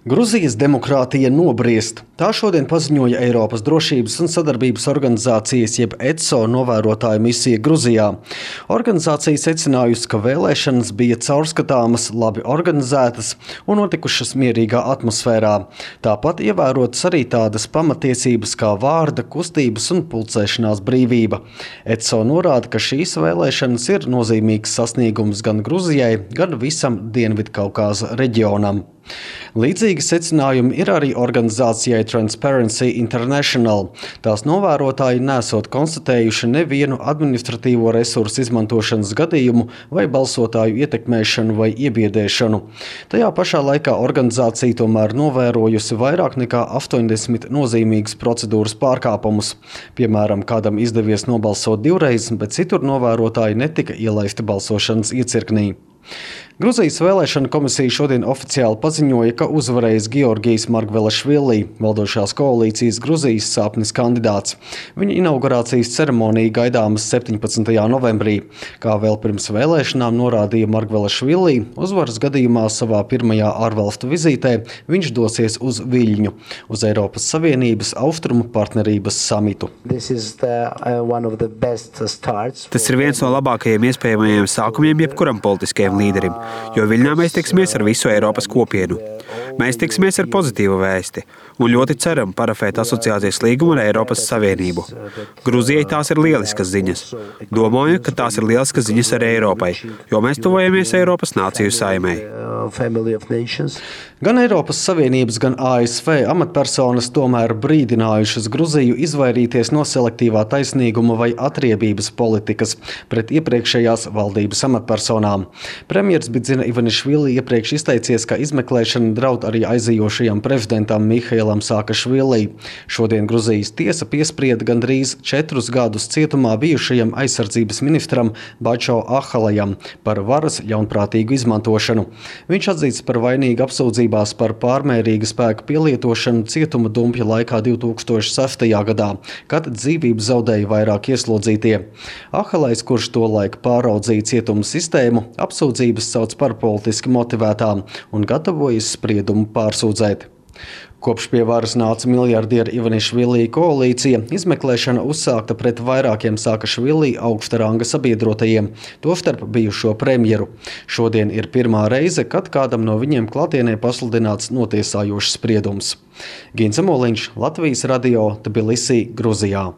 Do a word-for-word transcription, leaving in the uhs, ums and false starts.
Gruzijas demokrātija nobriest. Tā šodien paziņoja Eiropas drošības un sadarbības organizācijas jeb E C O novērotāju misija Gruzijā. Organizācija secinājusi, ka vēlēšanas bija caurskatāmas, labi organizētas un notikušas mierīgā atmosfērā. Tāpat ievērotas arī tādas pamatiesības kā vārda, kustības un pulcēšanās brīvība. E C O norāda, ka šīs vēlēšanas ir nozīmīgs sasniegums gan Gruzijai, gan visam Dienvidkaukāza reģionam. Līdzīgi secinājumi ir arī organizācijai Transparency International. Tās novērotāji nesot konstatējuši nevienu administratīvo resursu izmantošanas gadījumu vai balsotāju ietekmēšanu vai iebiedēšanu. Tajā pašā laikā organizācija tomēr novērojusi vairāk nekā astoņdesmit nozīmīgas procedūras pārkāpumus. Piemēram, kādam izdevies nobalsot divreiz, bet citur novērotāji netika ielaisti balsošanas iecirknī. Gruzijas vēlēšana komisija šodien oficiāli paziņoja, ka uzvarējis Georgijs Margvelašvili, valdošās koalīcijas Gruzijas sāpnis kandidāts. Viņa inaugurācijas ceremonija gaidāmas septiņpadsmitajā novembrī. Kā vēl pirms vēlēšanām norādīja Margvelašvili, uzvaras gadījumā savā pirmajā ārvalstu vizītē viņš dosies uz Viļņu, uz Eiropas Savienības austrumu partnerības samitu. The, uh, Tas ir viens no labākajiem iespējamajiem sākumiem jebkuram politiskajam līderim, jo Viļņā mēs tiksimies ar visu Eiropas kopienu. Mēs tiksimies ar pozitīvu vēsti un ļoti ceram parafēt asociācijas līgumu ar Eiropas Savienību. Gruzijai tās ir lieliskas ziņas. Domāju, ka tās ir lieliskas ziņas arī Eiropai, jo mēs tuvojamies Eiropas nāciju saimei. Gan Eiropas Savienības, gan A S V amatpersonas tomēr brīdinājušas Gruziju izvairīties no selektīvā taisnīguma vai atriebības politikas pret iepriekšējās valdības amatpersonām. Premjers Bidzina Ivanišvili iepriekš izteicies, ka izmeklēšana draud arī aizejošajam prezidentam Mihailam Saakašvili. Šodien Gruzijas tiesa piesprieda gandrīz četrus gadus cietumā bijušajam aizsardzības ministram Bačo Ahalajam par varas ļaunprātīgu izmantošanu. Viņš atzīts par vainīgu apsūdzībās par pārmērīgu spēku pielietošanu cietuma dumpja laikā divi tūkstoši sestajā gadā, kad dzīvību zaudēja vairāk ieslodzītie. Ahalajs, kurš tolaik pāraudzīja cietuma sistēmu, apsūdzības sauc par politiski motivētām un gatavojas spriedumu pārsūdzēt. Kopš pie varas nāca miljardiera Ivanišvili koalīcija, izmeklēšana uzsākta pret vairākiem Saakašvili augsta ranga sabiedrotajiem, tostarp bijušo premjeru. Šodien ir pirmā reize, kad kādam no viņiem klātienē pasludināts notiesājošs spriedums. Gins Amoliņš, Latvijas radio, Tbilisī, Gruzijā.